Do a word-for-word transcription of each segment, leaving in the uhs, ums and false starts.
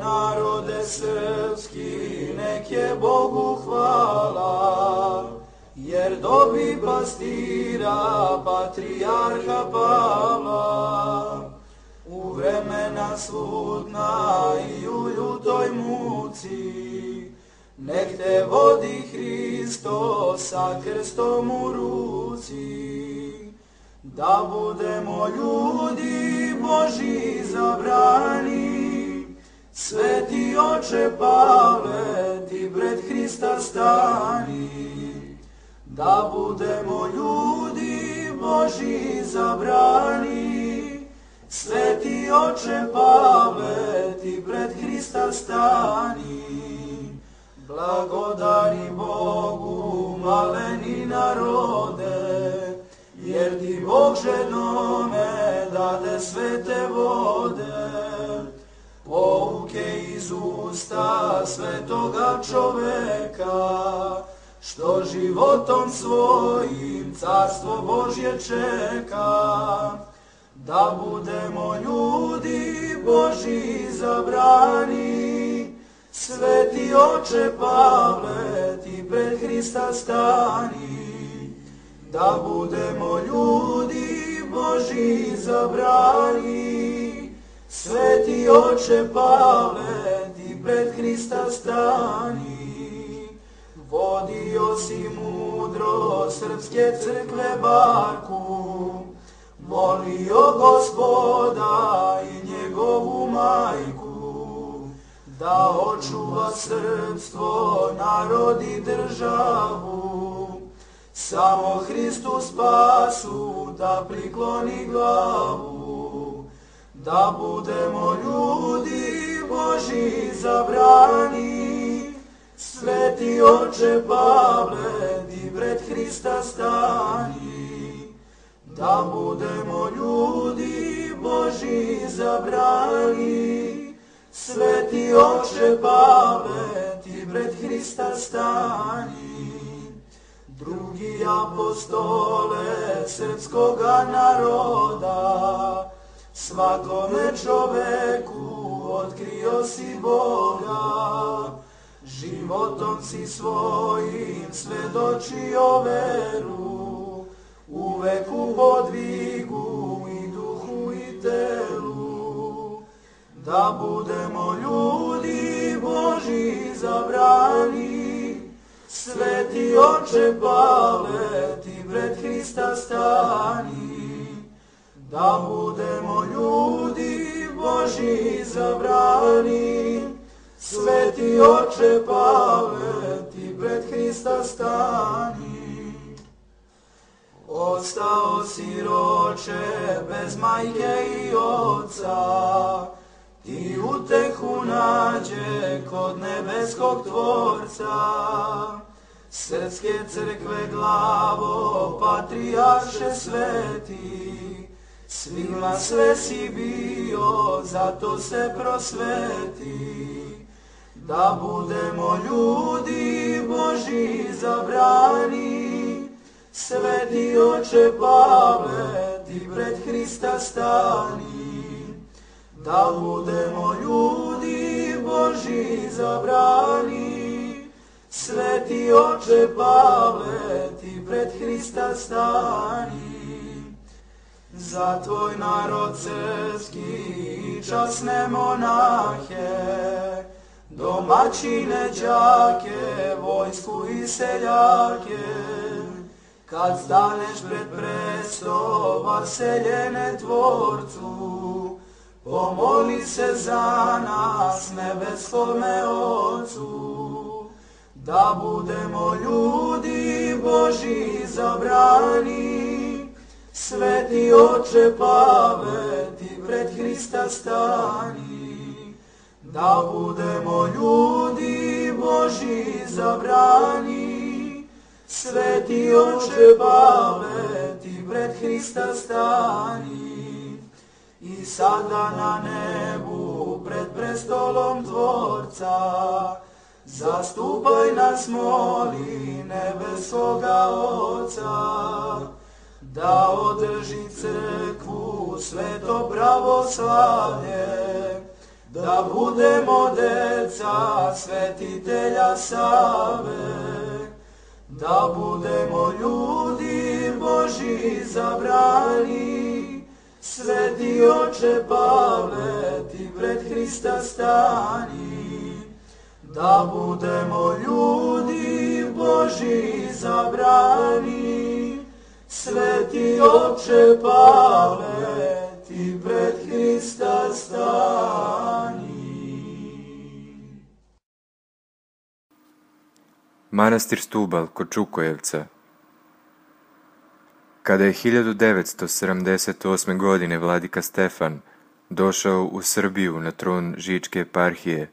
narode srpski, nek je Bogu hvala, jer dobi pastira patrijarha Pavla. U vremena slutna i u ljutoj muci, nek te vodi Hristo sa krstom u ruci. Da budemo ljudi Božji zabrani, sveti oče Pavle, ti pred Hrista stani. Da budemo ljudi Božji zabrani, sveti oče Pavle, ti pred Hrista stani. Blagodari Bogu, maleni narode, jer ti Bog ženome dade svete vode. Pouke iz usta svetoga čoveka, što životom svojim carstvo Božje čeka. Da budemo ljudi Božji zabrani, sveti oče Pavle, ti pred Hrista stani. Da budemo ljudi Božji zabrani, sveti oče Pavle, ti pred Hrista stani. Vodio si mudro srpske crkve barku, molio Gospoda i njegovu majku, da očuva srpstvo, narod i državu. Samo Hristu spasu da prikloni glavu. Da budemo ljudi Božji zabrani, sveti oče Pavle, ti pred Hrista stani. Da budemo ljudi Božji zabrani, sveti oče Pavle, ti pred Hrista stani. Drugi apostole srpskoga naroda, svakome čoveku otkrio si Boga. Životom si svojim svedočio veru, uvek u podvigu i duhu i telu. Da budemo ljudi Božji zabrani, sveti oče Pavle, ti pred Hrista stani. Da budemo ljudi Božji zabrani, sveti oče Pavle, ti pred Hrista stani. Ostao siroče bez majke i oca, ti utehu nađe kod nebeskog Tvorca. Srpske crkve glavo, patrijarše sveti, svima sve si bio, zato se prosveti. Da budemo ljudi Božji zabrani, sveti oče Pavle, ti pred Hrista stani. Da budemo ljudi Božji zabrani, sveti oče Pavle, ti pred Hrista stani. Za tvoj narod srpski i časne monahe, domaćine, đake, vojsku i seljake, kad staneš pred presto vaseljene Tvorcu, pomoli se za nas nebeskome Otcu. Da budemo ljudi Božji zabrani, sveti oče Pavle, ti pred Hrista stani. Da budemo ljudi Božji zabrani, sveti oče Pavle, ti pred Hrista stani. I sada na nebu pred prestolom Tvorca, zastupaj nas, moli, nebeskoga Oca, da održi crkvu sveto pravoslavlje, da budemo deca svetitelja Save, da budemo ljudi Božji izabrani. Sveti oče Pavle, ti pred Hrista stani, da budemo ljudi Božji izabrani. Sveti oče Pavle, ti pred Hrista stani. Manastir Stubal kod Čukojevca. Kada je hiljadu devetsto sedamdeset osme. godine vladika Stefan došao u Srbiju na tron Žičke eparhije,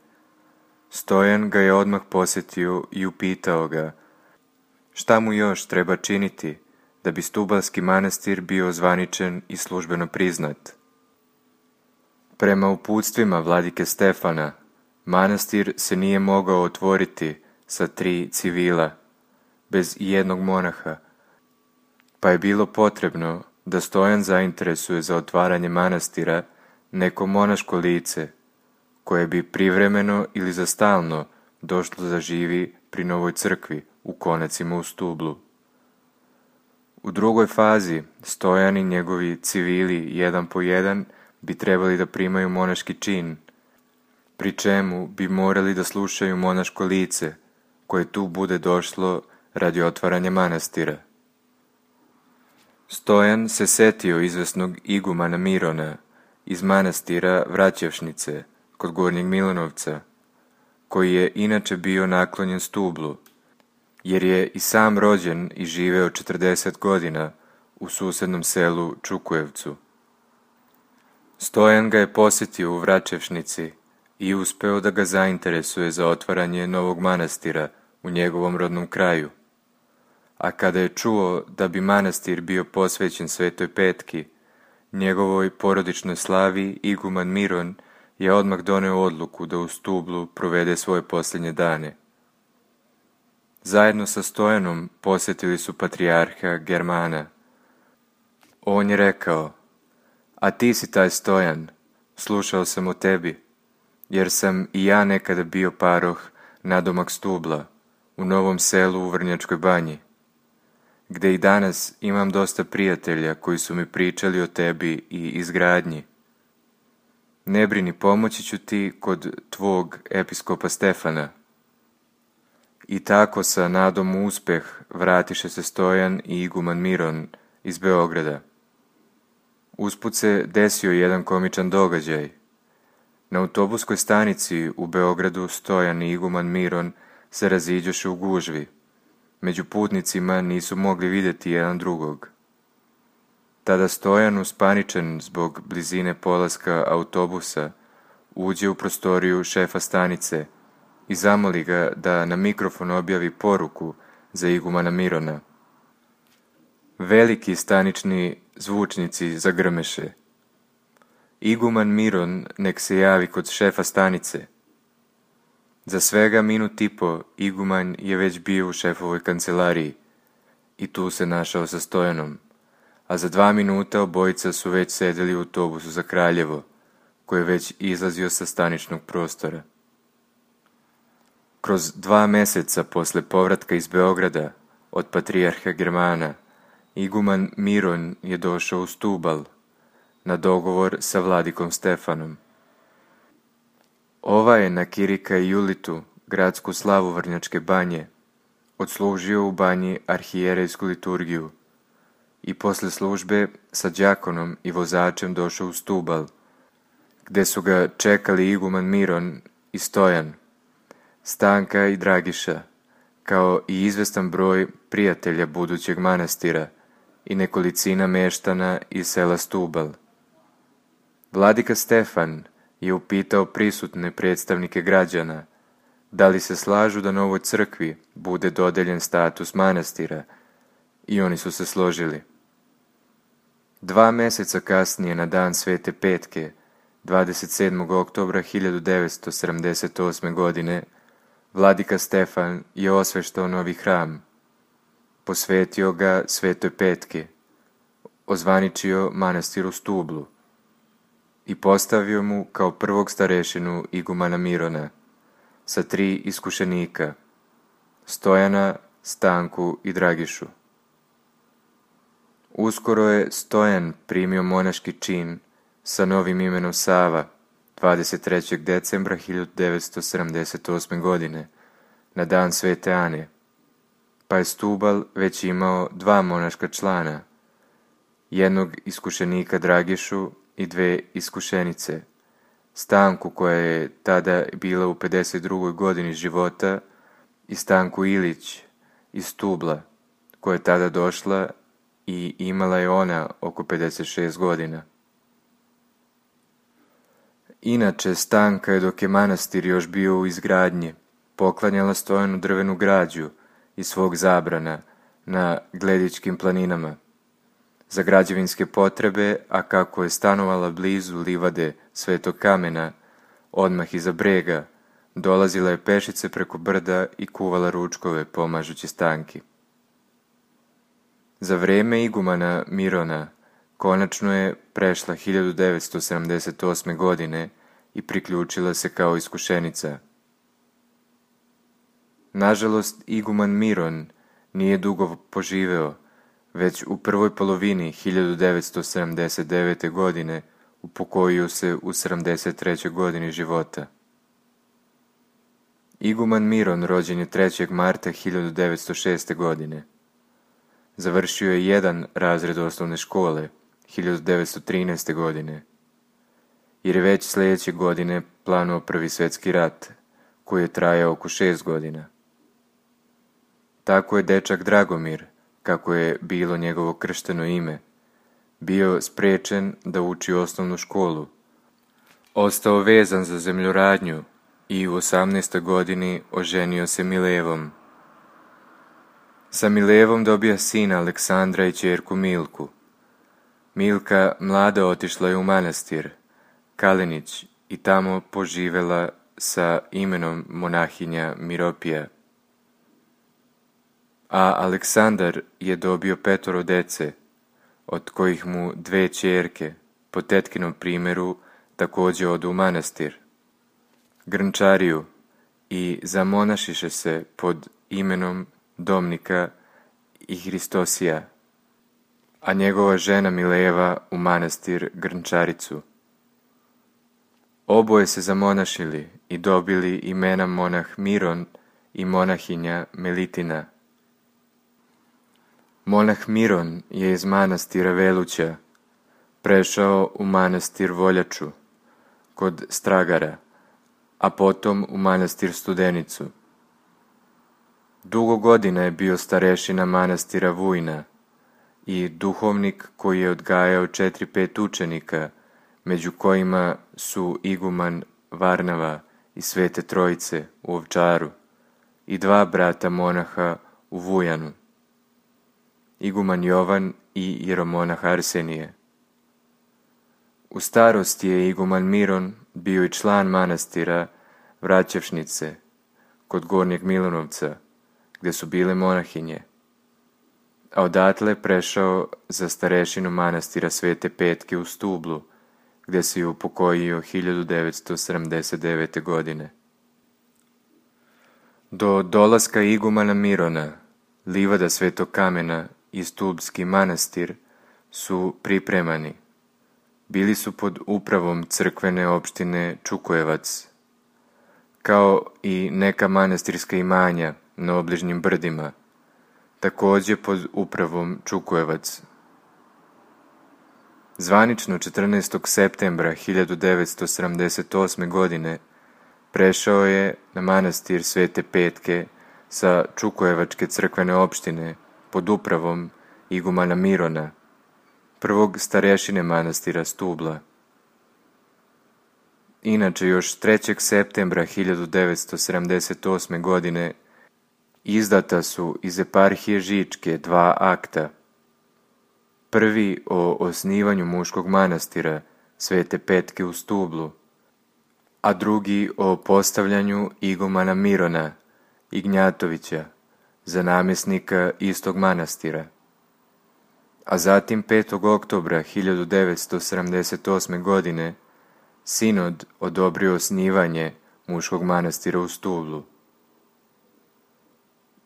Stojan ga je odmah posjetio i upitao ga šta mu još treba činiti da bi Stubalski manastir bio ozvaničen i službeno priznat. Prema uputstvima vladike Stefana, manastir se nije mogao otvoriti sa tri civila, bez jednog monaha, pa je bilo potrebno da Stojan zainteresuje za otvaranje manastira neko monaško lice, koje bi privremeno ili za stalno došlo da živi pri novoj crkvi u Konacima u Stublu. U drugoj fazi Stojan i njegovi civili jedan po jedan bi trebali da primaju monaški čin, pri čemu bi morali da slušaju monaško lice koje tu bude došlo radi otvaranja manastira. Stojan se setio izvesnog igumana Mirona iz manastira Vraćevšnice kod Gornjeg Milanovca, koji je inače bio naklonjen Stublu, jer je i sam rođen i živeo četrdeset godina u susednom selu Čukujevcu. Stojan ga je posjetio u Vraćevšnici i uspeo da ga zainteresuje za otvaranje novog manastira u njegovom rodnom kraju. A kada je čuo da bi manastir bio posvećen Svetoj Petki, njegovoj porodičnoj slavi, iguman Miron je odmah doneo odluku da u Stublu provede svoje posljednje dane. Zajedno sa Stojanom posjetili su patrijarha Germana. On je rekao: a ti si taj Stojan, slušao sam o tebi, jer sam i ja nekada bio paroh nadomak Stubla, u Novom Selu u Vrnjačkoj Banji, gde i danas imam dosta prijatelja koji su mi pričali o tebi i izgradnji. Ne brini, pomoći ću ti kod tvog episkopa Stefana. I tako sa nadom u uspeh vratiše se Stojan i iguman Miron iz Beograda. Usput se desio jedan komičan događaj. Na autobuskoj stanici u Beogradu Stojan i iguman Miron se raziđoše u gužvi. Među putnicima nisu mogli vidjeti jedan drugog. Tada Stojan, uspaničen zbog blizine polaska autobusa, uđe u prostoriju šefa stanice i zamoli ga da na mikrofon objavi poruku za igumana Mirona. Veliki stanični zvučnici zagrmeše: iguman Miron nek se javi kod šefa stanice. Za svega minut i po iguman je već bio u šefovoj kancelariji i tu se našao sa Stojanom, a za dva minuta obojica su već sedeli u autobusu za Kraljevo, koji je već izlazio sa staničnog prostora. Kroz dva meseca posle povratka iz Beograda od patrijarha Germana, iguman Miron je došao u Stubal na dogovor sa vladikom Stefanom. Ova je na Kirika i Julitu, gradsku slavu Vrnjačke Banje, odslužio u banji arhijerejsku liturgiju i posle službe sa đakonom i vozačem došao u Stubal, gde su ga čekali iguman Miron i Stojan, Stanka i Dragiša, kao i izvestan broj prijatelja budućeg manastira i nekolicina meštana iz sela Stubal. Vladika Stefan je upitao prisutne predstavnike građana da li se slažu da novoj crkvi bude dodeljen status manastira, i oni su se složili. Dva meseca kasnije, na dan Svete Petke, dvadeset sedmog oktobra hiljadu devetsto sedamdeset osme. godine, vladika Stefan je osveštao novi hram, posvetio ga Svetoj Petke, ozvaničio manastir u Stublu. i postavio mu kao prvog starešinu igumana Mirona sa tri iskušenika, Stojana, Stanku i Dragišu. Uskoro je Stojan primio monaški čin sa novim imenom Sava dvadeset trećeg decembra hiljadu devetsto sedamdeset osme. godine, na dan Svete Ane, pa je Stubal već imao dva monaška člana, jednog iskušenika Dragišu i dve iskušenice, Stanku koja je tada bila u pedeset drugoj godini života i Stanku Ilić iz Stubla koja je tada došla i imala je ona oko pedeset šest godina. Inače, Stanka je dok je manastir još bio u izgradnji poklanjala Stojanu drvenu građu iz svog zabrana na Gledičkim planinama za građevinske potrebe, a kako je stanovala blizu livade Svetog kamena, odmah iza brega, dolazila je pešice preko brda i kuvala ručkove pomažući Stanki. Za vreme igumana Mirona konačno je prešla hiljadu devetsto sedamdeset osme. godine i priključila se kao iskušenica. Nažalost, iguman Miron nije dugo poživeo, već u prvoj polovini hiljadu devetsto sedamdeset devete. godine upokojio se u sedamdeset trećoj. godini života. Iguman Miron rođen je trećeg marta hiljadu devetsto šeste. godine. Završio je jedan razred osnovne škole hiljadu devetsto trinaeste. godine, jer je već sljedeće godine planuo Prvi svjetski rat, koji je trajao oko šest godina. Tako je dečak Dragomir, kako je bilo njegovo kršteno ime, bio sprečen da uči osnovnu školu, ostao vezan za zemljoradnju i u osamnaestoj godini oženio se Milevom. Sa Milevom dobija sina Aleksandra i ćerku Milku. Milka mlada otišla je u manastir Kalenić i tamo poživela sa imenom monahinja Miropija. A Aleksandar je dobio petoro dece, od kojih mu dve ćerke, po tetkinom primjeru, također odu u manastir, Grnčariju, i zamonašiše se pod imenom Domnika i Hristosija, a njegova žena Mileva u manastir Grnčaricu. Oboje se zamonašili i dobili imena monah Miron i monahinja Melitina. Monah Miron je iz manastira Veluća prešao u manastir Voljaču kod Stragara, a potom u manastir Studenicu. Dugo godina je bio starešina manastira Vujna i duhovnik koji je odgajao četiri pet učenika, među kojima su iguman Varnava i Svete Trojice u Ovčaru i dva brata monaha u Vujanu, iguman Jovan i jeromonah Arsenije. U starosti je iguman Miron bio i član manastira Vraćevšnice kod Gornjeg Milanovca, gdje su bile monahinje, a odatle prešao za starešinu manastira Svete Petke u Stublu, gdje se je upokojio hiljadu devetsto sedamdeset devete. godine. Do dolaska igumana Mirona, livada Svetog kamena i Stubski manastir su pripremani. Bili su pod upravom crkvene opštine Čukojevac, kao i neka manastirska imanja na obližnjim brdima, također pod upravom Čukojevac. Zvanično četrnaestog septembra hiljadu devetsto sedamdeset osme. godine prešao je na manastir Svete Petke sa Čukojevačke crkvene opštine pod upravom igumana Mirona, prvog starešine manastira Stubla. Inače, još trećeg septembra hiljadu devetsto sedamdeset osme. godine izdata su iz eparhije Žičke dva akta. Prvi o osnivanju muškog manastira Svete Petke u Stublu, a drugi o postavljanju igumana Mirona Ignjatovića za namjesnika istog manastira. A zatim petog oktobra hiljadu devetsto sedamdeset osme. godine sinod odobrio osnivanje muškog manastira u Stublu.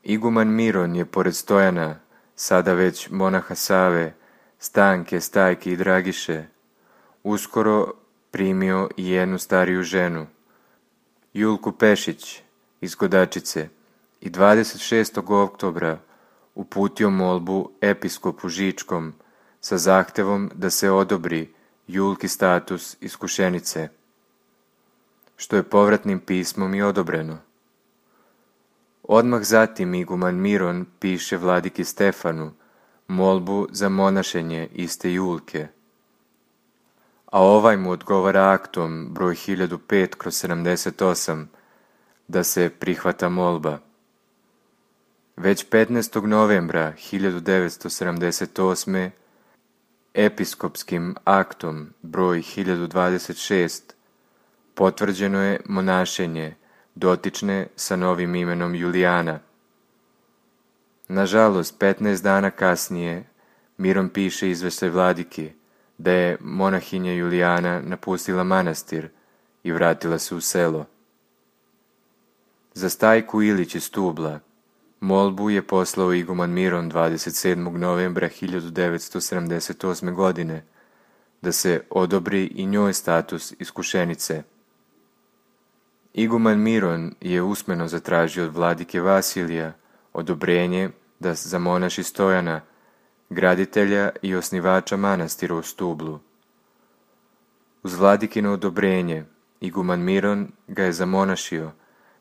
Iguman Miron je pored Stojana, sada već monaha Save, Stanke, Stajke i Dragiše, uskoro primio i jednu stariju ženu, Julku Pešić iz Godačice, i dvadeset šestog oktobra uputio molbu episkopu Žičkom sa zahtevom da se odobri Julki status iskušenice, što je povratnim pismom i odobreno. Odmah zatim iguman Miron piše vladiki Stefanu molbu za monašenje iste Julke, a ovaj mu odgovara aktom broj hiljadu pet kroz sedamdeset osam da se prihvata molba. Već petnaestog novembra hiljadu devetsto sedamdeset osme episkopskim aktom broj hiljadu dvadeset šest potvrđeno je monašenje dotične sa novim imenom Julijana. Nažalost, petnaest dana kasnije Miron piše izveštaj vladiki da je monahinja Julijana napustila manastir i vratila se u selo. Za Stajku Ilić iz Stubla molbu je poslao iguman Miron dvadeset sedmog novembra hiljadu devetsto sedamdeset osme godine da se odobri i njoj status iskušenice. Iguman Miron je usmeno zatražio od vladike Vasilija odobrenje da zamonaši Stojana, graditelja i osnivača manastira u Stublu. Uz vladikino odobrenje, iguman Miron ga je zamonašio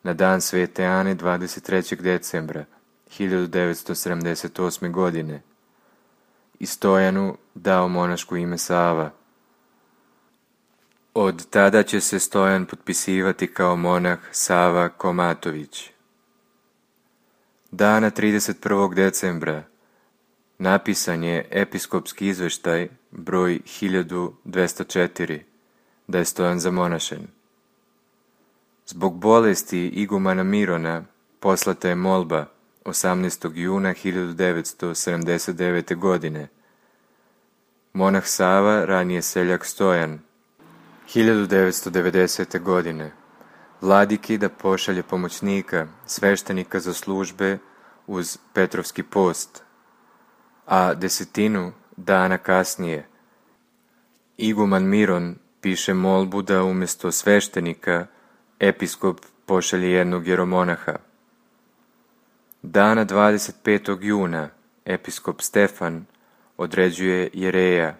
na dan Svete Ane dvadeset trećeg decembra hiljadu devetsto sedamdeset osme godine i Stojanu dao monaško ime Sava. Od tada će se Stojan potpisivati kao monah Sava Komatović. Dana trideset prvog decembra napisan je episkopski izveštaj broj hiljadu dvesta četiri da je Stojan zamonašen. Zbog bolesti igumana Mirona poslata je molba osamnaestog juna hiljadu devetsto sedamdeset devete. godine. Monah Sava, ranije seljak Stojan, hiljadu devetsto devedesete. godine, vladiki da pošalje pomoćnika, sveštenika za službe uz Petrovski post, a desetinu dana kasnije iguman Miron piše molbu da umjesto sveštenika episkop pošalje jednog jeromonaha. Dana dvadeset petog juna episkop Stefan određuje jereja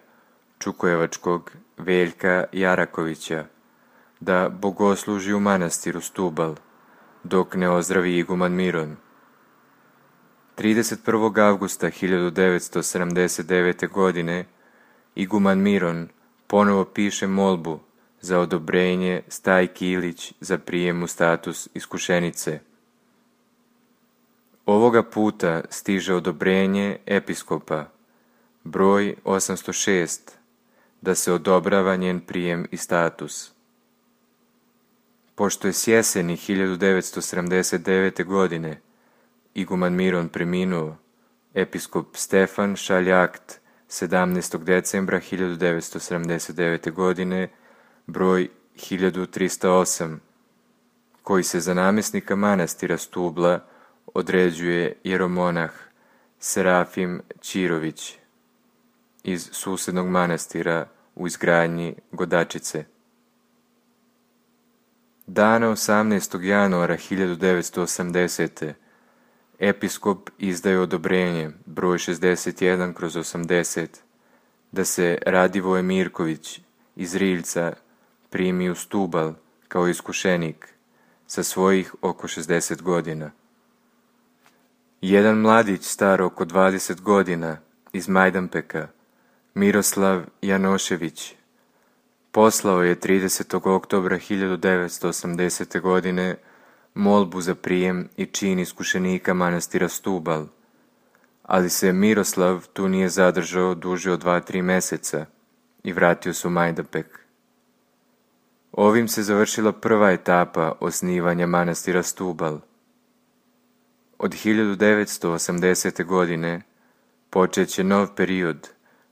Čukojevačkog Veljka Jarakovića da bogosluži u manastiru Stubal, dok ne ozdravi iguman Miron. trideset prvog avgusta hiljadu devetsto sedamdeset devete. godine iguman Miron ponovo piše molbu za odobrenje Stajki Ilić za prijem u status iskušenice. Ovoga puta stiže odobrenje episkopa broj osamsto šest da se odobrava njen prijem i status. Pošto je s jeseni hiljadu devetsto sedamdeset devete. godine iguman Miron preminuo, episkop Stefan šalje akt sedamnaestog decembra hiljadu devetsto sedamdeset devete. godine broj hiljadu trista osam, koji se za namjesnika manastira Stubla određuje jeromonah Serafim Čirović iz susjednog manastira u izgradnji Godačice. Dana osamnaestog januara hiljadu devetsto osamdesete. episkop izdaje odobrenje broj šezdeset jedan kroz osamdeset da se Radivoje Mirković iz Riljca primi u Stubal kao iskušenik sa svojih oko šezdeset godina. Jedan mladić star oko dvadeset godina iz Majdanpeka, Miroslav Janošević, poslao je tridesetog oktobra hiljadu devetsto osamdesete. godine molbu za prijem i čin iskušenika manastira Stubal, ali se Miroslav tu nije zadržao duže od dva tri meseca i vratio se u Majdanpek. Ovim se završila prva etapa osnivanja manastira Stubal. Od hiljadu devetsto osamdesete. godine počet će nov period,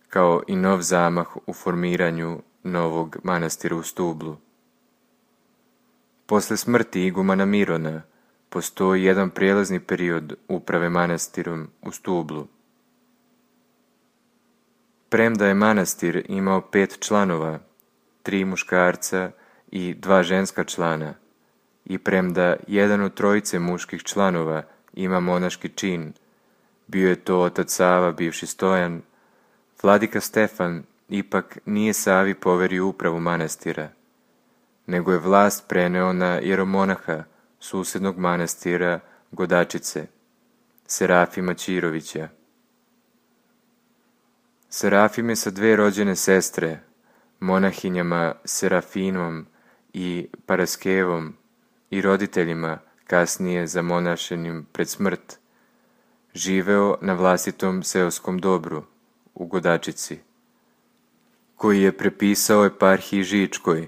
kao i nov zamah u formiranju novog manastira u Stublu. Posle smrti igumana Mirona postoji jedan prijelazni period uprave manastirom u Stublu. Premda je manastir imao pet članova, tri muškarca i dva ženska člana, i premda jedan od trojice muških članova ima monaški čin, bio je to otac Sava, bivši Stojan, vladika Stefan ipak nije Savi poverio upravu manastira, nego je vlast preneo na jeromonaha susednog manastira Godačice, Serafima Ćirovića. Serafim je sa dve rođene sestre, monahinjama Serafinom i Paraskevom i roditeljima kasnije zamonašenim pred smrt, živeo na vlastitom seoskom dobru u Godačici, koji je prepisao eparhiji Žičkoj,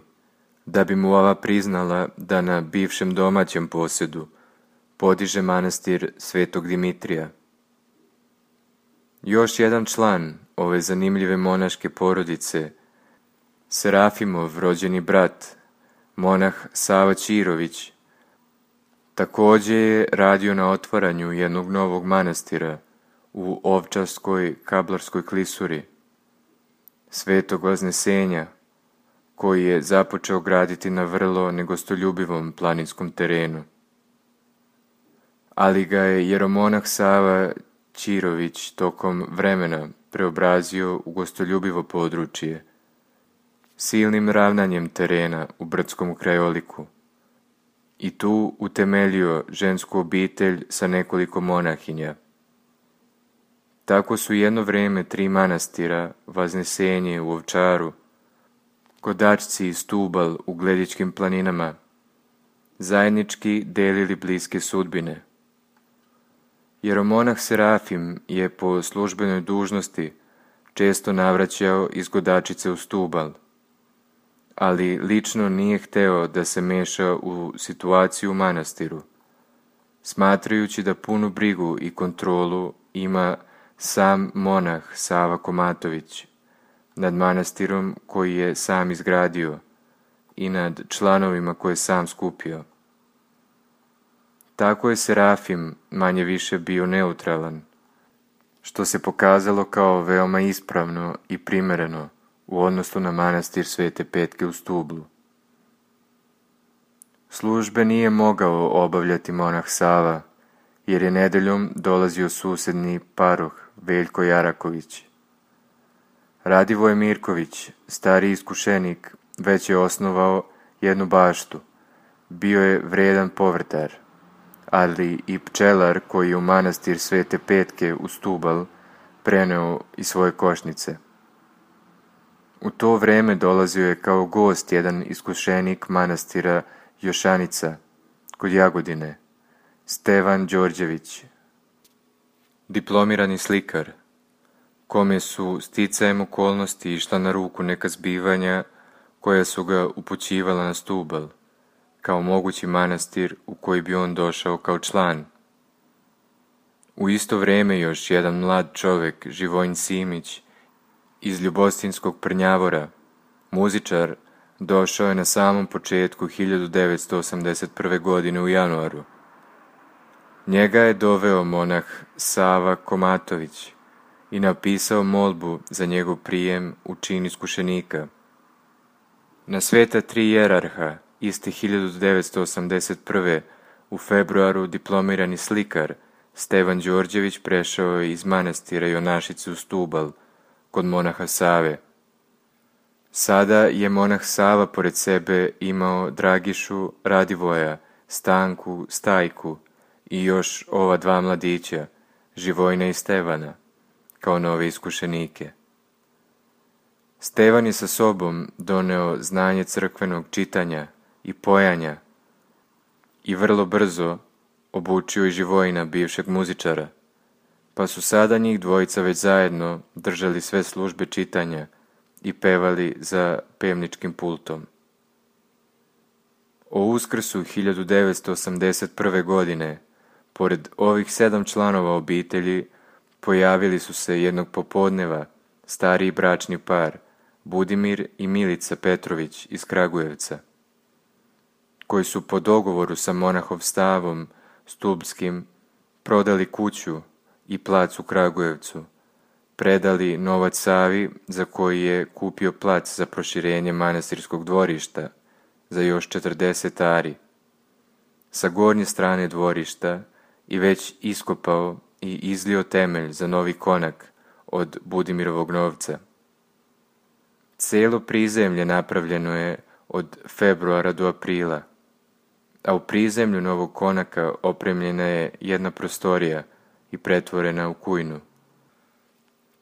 da bi mu ova priznala da na bivšem domaćem posjedu podiže manastir Svetog Dimitrija. Još jedan član ove zanimljive monaške porodice, Serafimov rođeni brat, monah Sava Ćirović, također je radio na otvaranju jednog novog manastira u Ovčarskoj Kablarskoj klisuri, Svetog Vaznesenja, koji je započeo graditi na vrlo negostoljubivom planinskom terenu. Ali ga je jeromonah Sava Ćirović tokom vremena preobrazio u gostoljubivo područje, silnim ravnanjem terena u brdskom krajoliku, i tu utemeljio žensku obitelj sa nekoliko monahinja. Tako su jedno vrijeme tri manastira, Vaznesenje u Ovčaru, Godačci i Stubal u Gledičkim planinama, zajednički delili bliske sudbine. Jeromonah Serafim je po službenoj dužnosti često navraćao iz Godačice u Stubal, ali lično nije hteo da se meša u situaciju u manastiru, smatrajući da punu brigu i kontrolu ima sam monah Sava Komatović nad manastirom koji je sam izgradio i nad članovima koje je sam skupio. Tako je Serafim manje više bio neutralan, što se pokazalo kao veoma ispravno i primereno u odnosu na manastir Svete Petke u Stublu. Službe nije mogao obavljati monah Sava, jer je nedeljom dolazio susedni paroh Veljko Jaraković. Radivoje Mirković, stari iskušenik, već je osnovao jednu baštu. Bio je vredan povrtar, ali i pčelar koji je u manastir Svete Petke u Stubal preneo i svoje košnice. U to vreme dolazio je kao gost jedan iskušenik manastira Jošanica kod Jagodine, Stevan Đorđević, diplomirani slikar, kome su sticajem okolnosti išla na ruku neka zbivanja koja su ga upućivala na Stubal, kao mogući manastir u koji bi on došao kao član. U isto vrijeme još jedan mlad čovjek, Živojin Simić, iz Ljubostinskog Prnjavora, muzičar, došao je na samom početku hiljadu devetsto osamdeset prve. godine u januaru. Njega je doveo monah Sava Komatović i napisao molbu za njegov prijem u čin iskušenika. Na sveta tri jerarha, iste hiljadu devetsto osamdeset prve. u februaru diplomirani slikar Stevan Đorđević prešao je iz manastira Jonašice u Stubal, kod monaha Save. Sada je monah Sava pored sebe imao Dragišu, Radivoja, Stanku, Stajku i još ova dva mladića, Živojina i Stevana, kao nove iskušenike. Stevan je sa sobom doneo znanje crkvenog čitanja i pojanja i vrlo brzo obučio i Živojina, bivšeg muzičara, pa su sada njih dvojica već zajedno držali sve službe čitanja i pevali za pevničkim pultom. O Uskrsu hiljadu devetsto osamdeset prve. godine, pored ovih sedam članova obitelji, pojavili su se jednog popodneva stariji bračni par, Budimir i Milica Petrović iz Kragujevca, koji su po dogovoru sa monahom Stavom Stubskim prodali kuću i plac u Kragujevcu, predali novac Savi za koji je kupio plac za proširenje manastirskog dvorišta za još četrdeset ari sa gornje strane dvorišta i već iskopao i izlio temelj za novi konak od Budimirovog novca. Cijelo prizemlje napravljeno je od februara do aprila, a u prizemlju novog konaka opremljena je jedna prostorija i pretvorena u kujnu.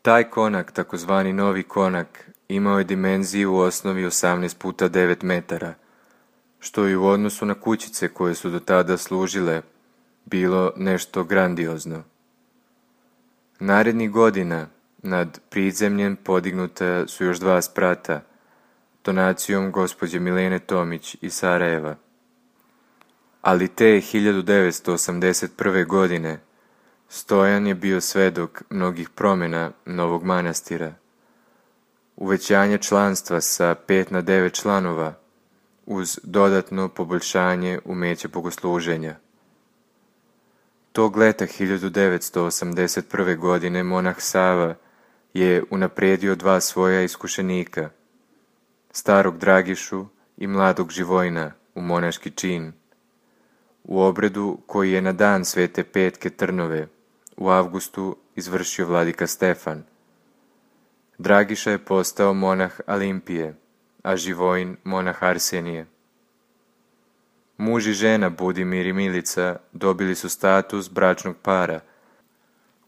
Taj konak, takozvani novi konak, imao je dimenziju u osnovi osamnaest puta devet metara, što i u odnosu na kućice koje su do tada služile bilo nešto grandiozno. Narednih godina nad prizemljem podignuta su još dva sprata, donacijom gospođe Milene Tomić iz Sarajeva. Ali te hiljadu devetsto osamdeset prve. godine Stojan je bio svedok mnogih promjena novog manastira. Uvećanje članstva sa pet na devet članova uz dodatno poboljšanje umeća bogosluženja. Tog leta hiljadu devetsto osamdeset prve. godine monah Sava je unaprijedio dva svoja iskušenika, starog Dragišu i mladog Živojna u monaški čin, u obredu koji je na dan Svete Petke Trnove u avgustu izvršio vladika Stefan. Dragiša je postao monah Alimpije, a Živojn monah Arsenije. Muž i žena Budimir i Milica dobili su status bračnog para,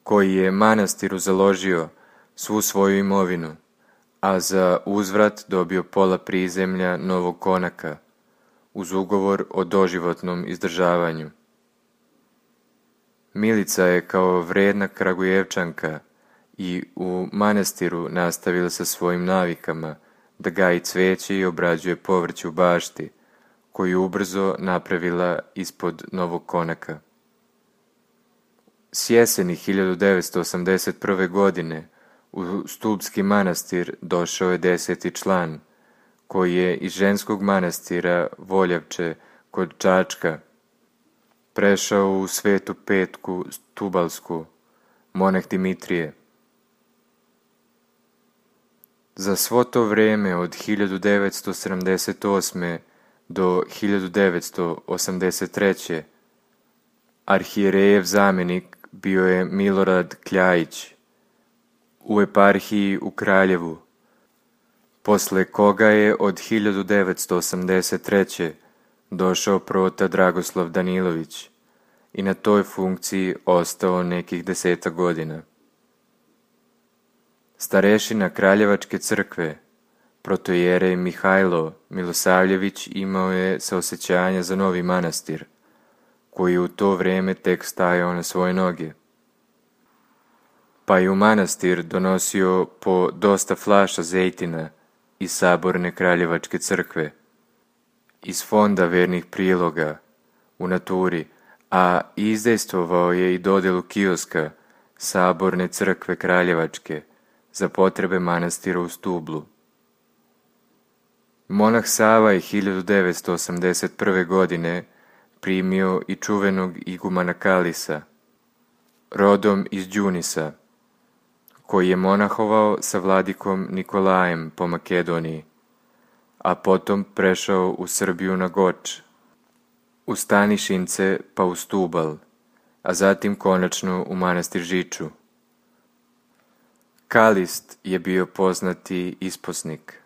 koji je manastiru založio svu svoju imovinu, a za uzvrat dobio pola prizemlja novog konaka, uz ugovor o doživotnom izdržavanju. Milica je kao vredna Kragujevčanka i u manastiru nastavila sa svojim navikama da gaji cveće i obrađuje povrće u bašti, koju ubrzo napravila ispod novog konaka. S jeseni hiljadu devetsto osamdeset prve. godine u Stubski manastir došao je deseti član, koji je iz ženskog manastira Voljavče kod Čačka prešao u Svetu Petku Stubalsku, monah Dimitrije. Za svo to vrijeme od hiljadu devetsto sedamdeset osme. do hiljadu devetsto osamdeset treće. arhijerejev zamjenik bio je Milorad Kljajić u eparhiji u Kraljevu, posle koga je od hiljadu devetsto osamdeset treće. došao prota Dragoslav Danilović i na toj funkciji ostao nekih deseta godina. Starešina Kraljevačke crkve, protojerej Mihajlo Milosavljević, imao je saosećanja za novi manastir, koji u to vrijeme tek stajao na svoje noge. Pa je u manastir donosio po dosta flaša zejtina iz saborne Kraljevačke crkve, iz fonda vernih priloga u naturi, a izdejstvovao je i dodjelu kioska saborne crkve Kraljevačke za potrebe manastira u Stublu. Monah Sava je hiljadu devetsto osamdeset prve. godine primio i čuvenog igumana Kalisa, rodom iz Đunisa, koji je monahovao sa vladikom Nikolajem po Makedoniji, a potom prešao u Srbiju na Goč, u Stanišince pa u Stubal, a zatim konačno u manastir Žiču. Kalist je bio poznati isposnik.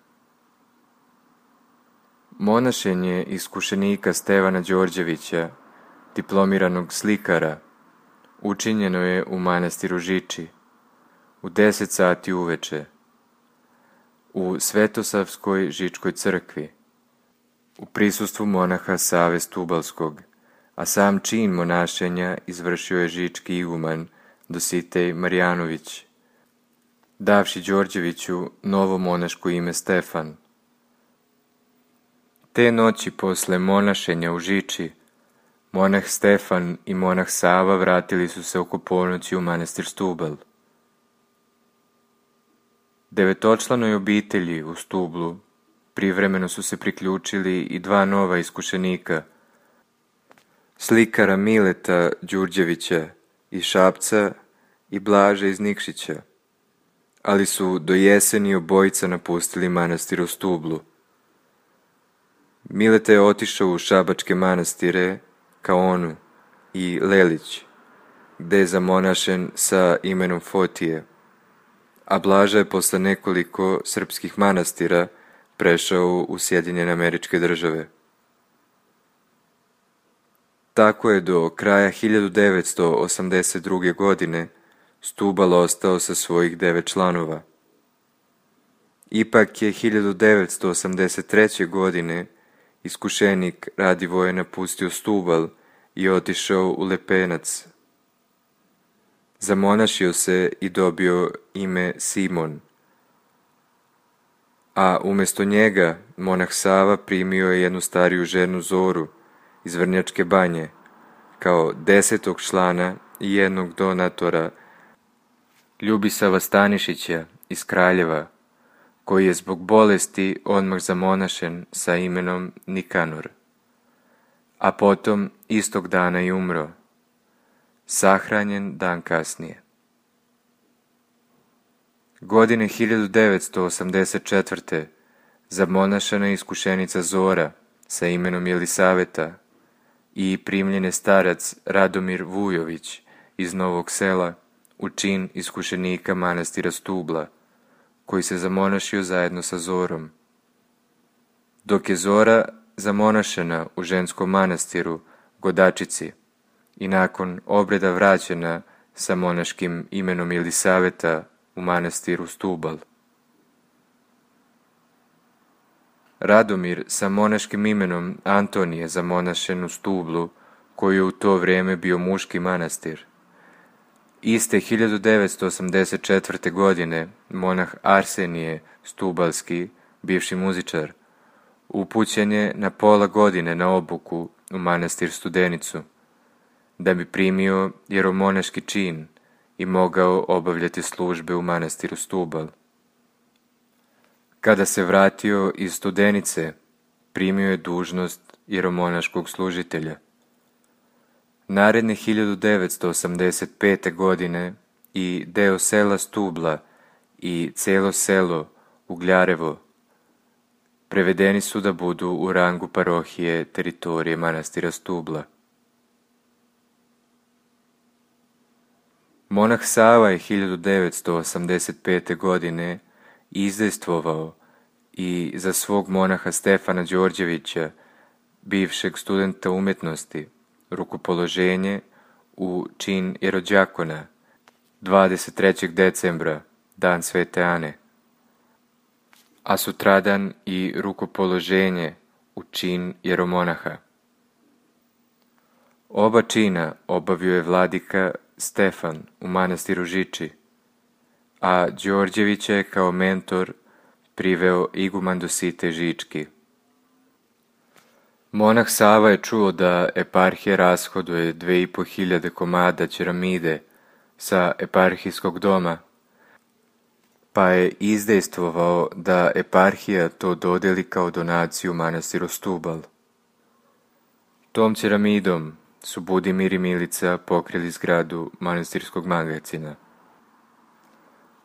Monašenje iskušenika Stevana Đorđevića, diplomiranog slikara, učinjeno je u manastiru Žiči, u deset sati uveče, u Svetosavskoj Žičkoj crkvi, u prisustvu monaha Save Stubalskog, a sam čin monašenja izvršio je žički iguman Dositej Marjanović, davši Đorđeviću novo monaško ime Stefan. Te noći posle monašenja u Žiči, monah Stefan i monah Sava vratili su se oko ponoći u manastir Stubal. Devetočlanoj obitelji u Stublu privremeno su se priključili i dva nova iskušenika, slikara Mileta Đurđevića iz Šapca i Blaža iz Nikšića, ali su do jeseni obojica napustili manastir u Stublu. Mileta je otišao u šabačke manastire Kaonu i Lelić, gde je zamonašen sa imenom Fotije, a Blaža je posle nekoliko srpskih manastira prešao u Sjedinjene Američke Države. Tako je do kraja hiljadu devetsto osamdeset druge. godine Stubal ostao sa svojih devet članova. Ipak je hiljadu devetsto osamdeset treće. godine iskušenik Radivoje napustio Stubal i otišao u Lepenac. Zamonašio se i dobio ime Simon, a umjesto njega monah Sava primio je jednu stariju ženu Zoru iz Vrnjačke Banje kao desetog člana i jednog donatora Ljubisava Stanišića iz Kraljeva, koji je zbog bolesti odmah zamonašen sa imenom Nikanor, a potom istog dana i umro, sahranjen dan kasnije. Godine hiljadu devetsto osamdeset četvrte. zamonašena je iskušenica Zora sa imenom Jelisaveta i primljen je starac Radomir Vujović iz Novog Sela u čin iskušenika manastira Stubla, koji se zamonašio zajedno sa Zorom. Dok je Zora zamonašena u ženskom manastiru Godačici i nakon obreda vraćena sa monaškim imenom Jelisaveta u manastiru Stubal. Radomir sa monaškim imenom Antonije zamonašen u Stublu, koji je u to vrijeme bio muški manastir. Iste hiljadu devetsto osamdeset četvrte. godine monah Arsenije Stubalski, bivši muzičar, upućen je na pola godine na obuku u manastir Studenicu, da bi primio jeromonaški čin i mogao obavljati službe u manastiru Stubal. Kada se vratio iz Studenice, primio je dužnost jeromonaškog služitelja. Naredne hiljadu devetsto osamdeset pete. godine i deo sela Stubla i celo selo Ugljarevo prevedeni su da budu u rangu parohije teritorije manastira Stubla. Monah Sava je hiljadu devetsto osamdeset pete. godine izdejstvovao i za svog monaha Stefana Đorđevića, bivšeg studenta umjetnosti, rukopoloženje u čin jerođakona dvadeset trećeg decembra, dan Svete Ane, a sutradan i rukopoloženje u čin jeromonaha. Oba čina obavio je vladika Stefan u manastiru Žiči, a Đorđevića je kao mentor priveo iguman Dositej Žički. Monah Sava je čuo da eparhija rashoduje dve i po hiljade komada ćeramide sa eparhijskog doma, pa je izdejstvovao da eparhija to dodeli kao donaciju manastiru Stubal. Tom ćeramidom su Budimir i Milica pokrili zgradu manastirskog magacina.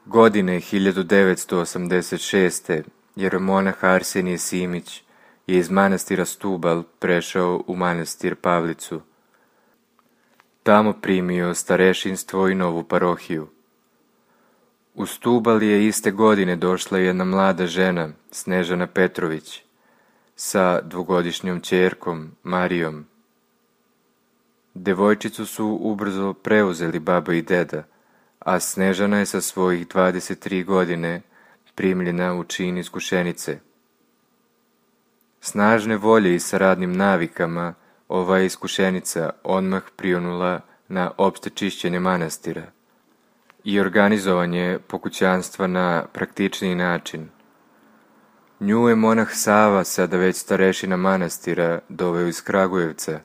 Godine hiljadu devetsto osamdeset šeste. jeromonah Arsenije Simić je iz manastira Stubal prešao u manastir Pavlicu. Tamo primio starešinstvo i novu parohiju. U Stubal je iste godine došla jedna mlada žena, Snežana Petrović, sa dvogodišnjom ćerkom, Marijom. Devojčicu su ubrzo preuzeli baba i deda, a Snežana je sa svojih dvadeset tri godine primljena u čin iskušenice. Snažne volje i sa radnim navikama, ova je iskušenica odmah prionula na opšte čišćenje manastira i organizovanje pokućanstva na praktičniji način. Nju je monah Sava, sada već starešina manastira, doveo iz Kragujevca,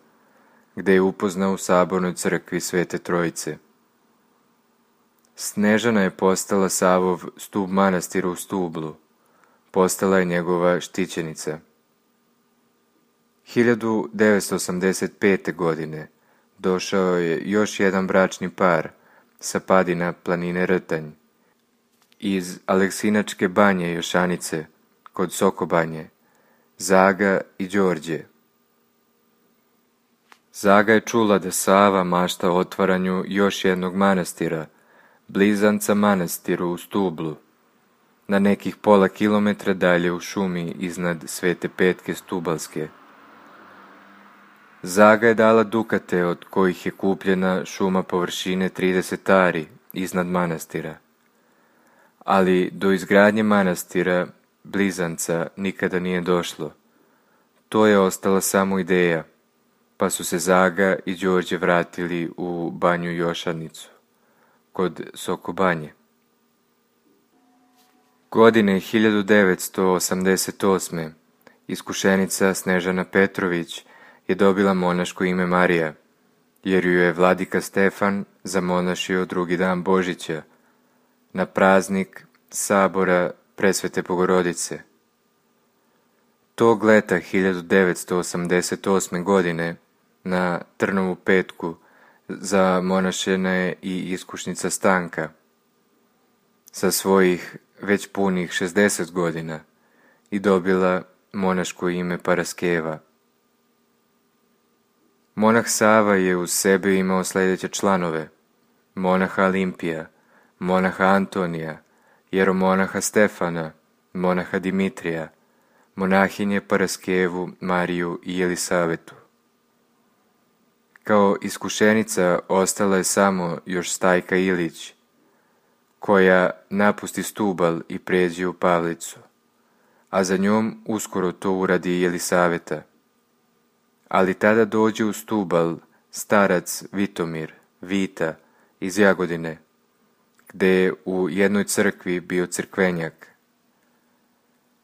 gde je upoznao u sabornoj crkvi Svete Trojice. Snežana je postala Savov stub manastira u Stublu, postala je njegova štićenica. hiljadu devetsto osamdeset pete. godine došao je još jedan bračni par sa padina planine Rtanj iz Aleksinačke banje Jošanice kod Sokobanje, Zaga i Đorđe. Zaga je čula da Sava mašta o otvaranju još jednog manastira, blizanca manastiru u Stublu, na nekih pola kilometra dalje u šumi iznad Svete Petke Stubalske. Zaga je dala dukate od kojih je kupljena šuma površine trideset ari iznad manastira, ali do izgradnje manastira blizanca nikada nije došlo. To je ostala samo ideja, pa su se Zaga i Đorđe vratili u banju Jošanicu, kod Sokobanje. Godine hiljadu devetsto osamdeset osme. iskušenica Snežana Petrović je dobila monaško ime Marija, jer ju je vladika Stefan zamonašio drugi dan Božića, na praznik sabora Presvete Bogorodice. Tog leta hiljadu devetsto osamdeset osme. godine na Trnovu petku zamonašena je i iskušnica Stanka. Sa svojih već punih šezdeset godina i dobila monaško ime Paraskeva. Monah Sava je uz sebe imao sljedeće članove: monaha Alimpija, monaha Antonija, jeromonaha Stefana, monaha Dimitrija, monahinje Paraskevu, Mariju i Jelisavetu. Kao iskušenica ostala je samo još Stajka Ilić, koja napusti Stubal i pređe u Pavlicu, a za njom uskoro to uradi i Jelisaveta. Ali tada dođe u Stubal starac Vitomir, Vita, iz Jagodine, gde je u jednoj crkvi bio crkvenjak.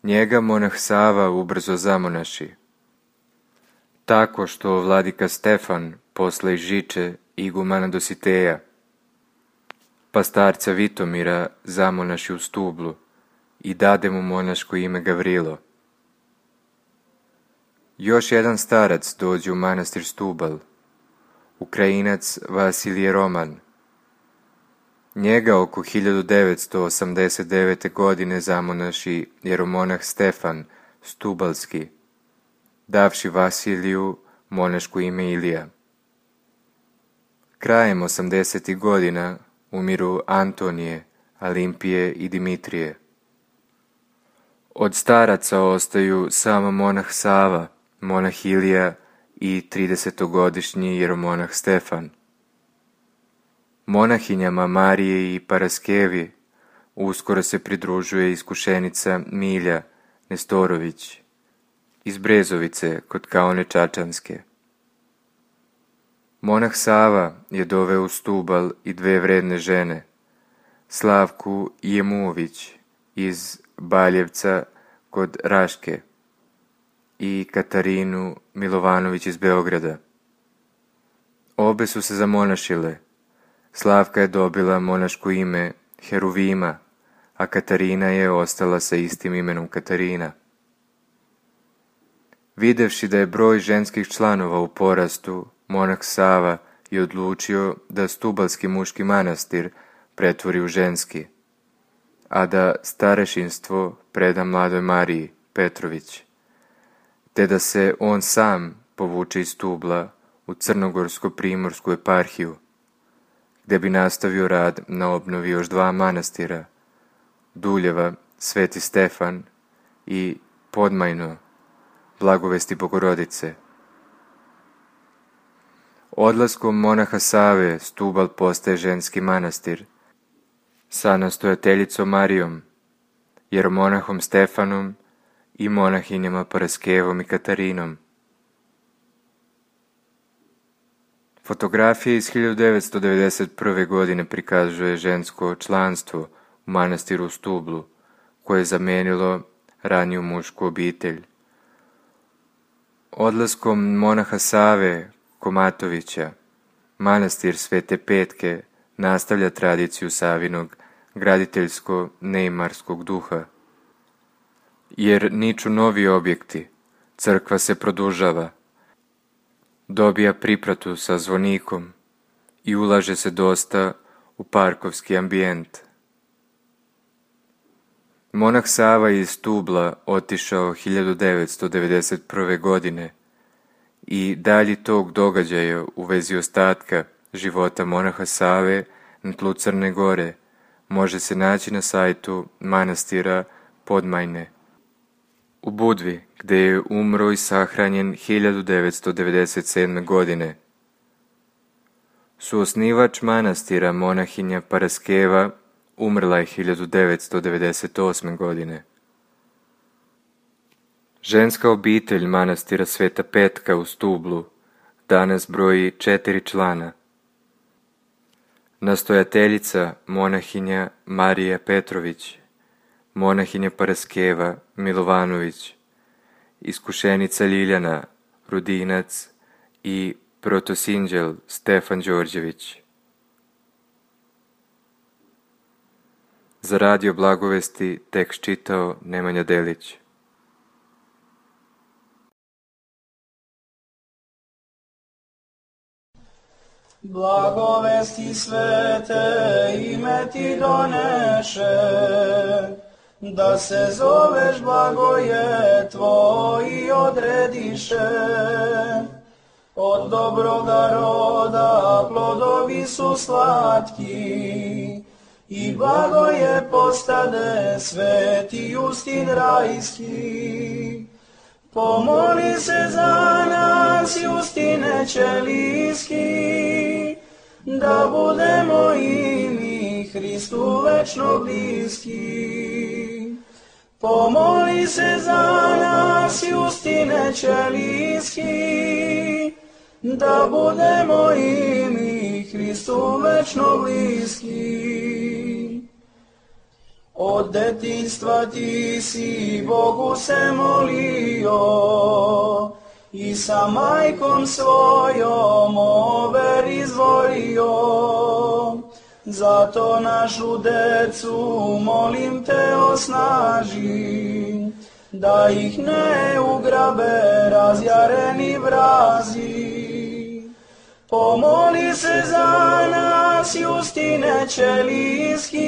Njega monah Sava ubrzo zamonaši, tako što vladika Stefan posle Žiče igumana Dositeja, pa starca Vitomira zamonaši u Stublu i dade mu monaško ime Gavrilo. Još jedan starac dođe u manastir Stubal, Ukrajinac Vasilije Roman. Njega oko hiljadu devetsto osamdeset devete. godine zamonaši jeromonah Stefan Stubalski, davši Vasiliju monaško ime Ilija. Krajem osamdesetih godina umiru Antonije, Alimpije i Dimitrije. Od staraca ostaju samo monah Sava, monah Ilija i tridesetogodišnji jeromonah Stefan. Monahinjama Marije i Paraskevi uskoro se pridružuje iskušenica Milja Nestorović iz Brezovice kod Kaone Čačanske. Monah Sava je doveo u Stubal i dve vredne žene, Slavku Jemuović iz Baljevca kod Raške i Katarinu Milovanović iz Beograda. Obe su se zamonašile. Slavka je dobila monaško ime Heruvima, a Katarina je ostala sa istim imenom Katarina. Videvši da je broj ženskih članova u porastu, monah Sava je odlučio da Stubalski muški manastir pretvori u ženski, a da starešinstvo preda mladoj Mariji Petrović, te da se on sam povuče iz Stubla u Crnogorsko-primorsku eparhiju, gde bi nastavio rad na obnovi još dva manastira, Duljeva, Sveti Stefan i Podmajno, Blagovesti Bogorodice. Odlaskom monaha Save Stubal postaje ženski manastir sa nastojateljicom Marijom, jeromonahom Stefanom i monahinjama Paraskevom i Katarinom. Fotografija iz hiljadu devetsto devedeset prve. godine prikazuje žensko članstvo u manastiru u Stublu, koje je zamenilo raniju mušku obitelj. Odlaskom monaha Save Komatovića, manastir Svete Petke nastavlja tradiciju Savinog graditeljsko-neimarskog duha. jer niču novi objekti, crkva se produžava, dobija pripratu sa zvonikom i ulaže se dosta u parkovski ambijent. Monah Sava iz Stubla otišao hiljadu devetsto devedeset prve. godine i dalji tog događaja u vezi ostatka života monaha Save na tlu Crne Gore može se naći na sajtu manastira Podmajne u Budvi, gde je umro i sahranjen hiljadu devetsto devedeset sedme. godine. Suosnivač manastira monahinja Paraskeva umrla je hiljadu devetsto devedeset osme. godine. Ženska obitelj manastira Sveta Petka u Stublu danas broji četiri člana. Nastojateljica monahinja Marija Petrović, monahinja Paraskeva Milovanović, iskušenica Ljiljana Rudinac i protosinđel Stefan Đorđević. Za Radio Blagovesti tekst čitao Nemanja Delić. Blagovesti svete ime ti doneše, da se zoveš blagoje tvoji odrediše. Od dobroga roda plodovi su slatki, i blagoje postade sveti Justin rajski. Pomoli se za nas, Justine Ćelijski, da budemo i mi Hristu večno bliski. Pomoli se za nas, Justine Ćelijski, da budemo i mi Hristu večno bliski. Od detinjstva ti si Bogu se molio i sa majkom svojom over izvorio. Zato našu decu molim te osnaži, da ih ne ugrabe razjareni vrazi. Pomoli se za nas, Justine Ćelijski,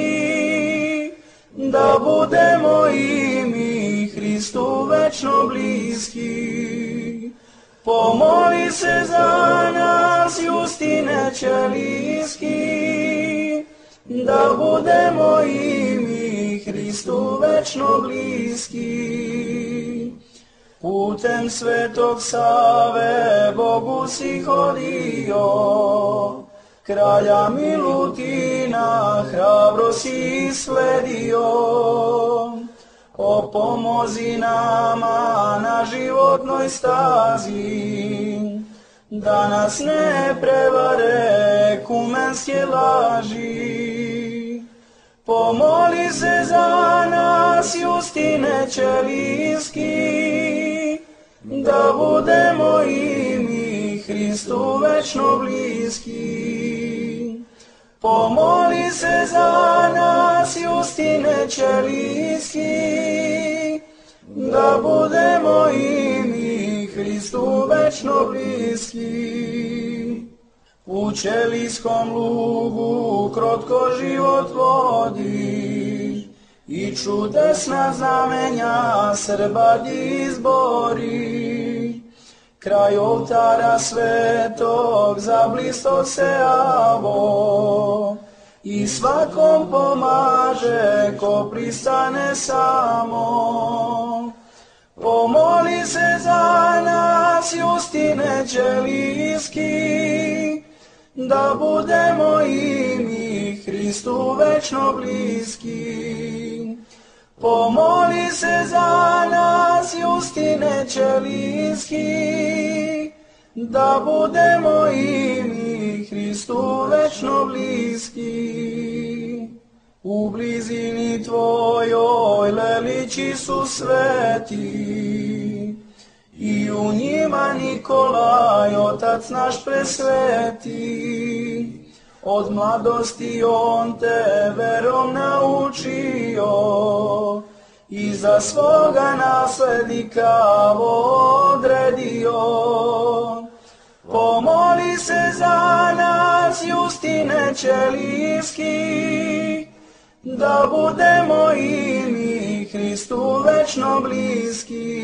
da budemo i mi Hristu večno bliski. Pomoli se za nas, Justine Ćelijski, da budemo i mi Hristu večno bliski. Putem Svetog Save Bogu si hodio, kralja Milutina hrabro si sledio. O pomozi nama na životnoj stazi, da nas ne prevare kumenske laži. Pomoli se za nas, Justine Ćelijski, da budemo i mi Hristu večno bliski. Pomoli se za nas, Justine Ćelijski, da budemo i mi Hristu večno bliski. U Ćelijskom lugu krotko život vodi i čudesna znamenja Srba izbori. Kraj oltara svetog zablisto se avo i svakom pomaže ko pristane samo. Pomoli se za nas, Justine Ćelijski, da budemo i mi Hristu večno bliski. Pomoli se za nas, Justine Ćelijski, da budemo i mi Hristu večno bliski. U blizini tvojoj lelići su sveti, i u njima Nikolaj, otac naš presveti. Od mladosti on te verom naučio i za svoga naslednika odredio. Pomoli se za nas, Justine Ćelijski, da budemo i mi Hristu večno bliski.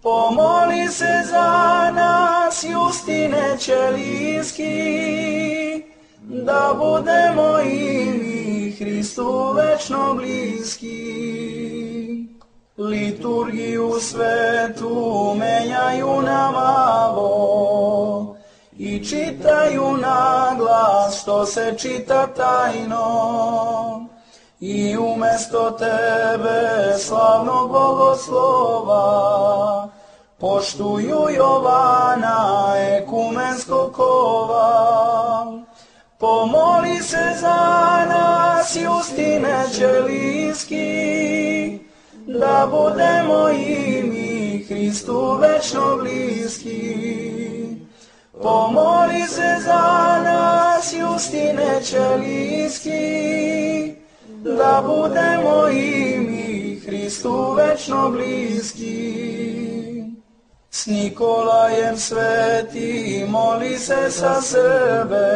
Pomoli se za nas, Justine Ćelijski, da budemo i mi Hristu večno bliski. Liturgiju svetu menjaju na malo i čitaju na glas što se čita tajno. I umjesto tebe, slavnog bogoslova, poštuju Jovana ekumenskog kova. Pomoli se za nas, Justine Ćelijski, da budemo i mi Hristu večno bliski. Pomoli se za nas, Justine Ćelijski, da budemo i mi Hristu večno bliski. S Nikolajem sveti moli se sa sebe,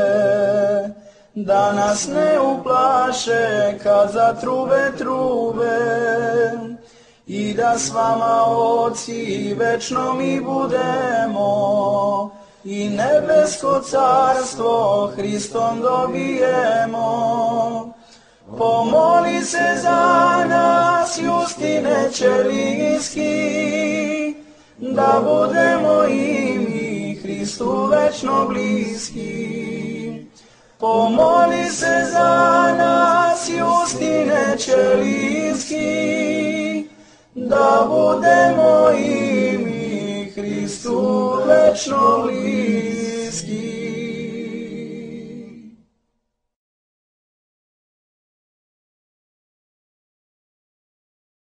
da nas ne uplaše kad zatrube trube, i da s vama, oci, večno mi budemo, i nebesko carstvo Hristom dobijemo. Pomoli se za nas, Justine Ćelijski, da budemo i mi Hristu večno bliski. Pomoli se za nas, Justine Ćelijski, da budemo i mi Hristu večno bliski.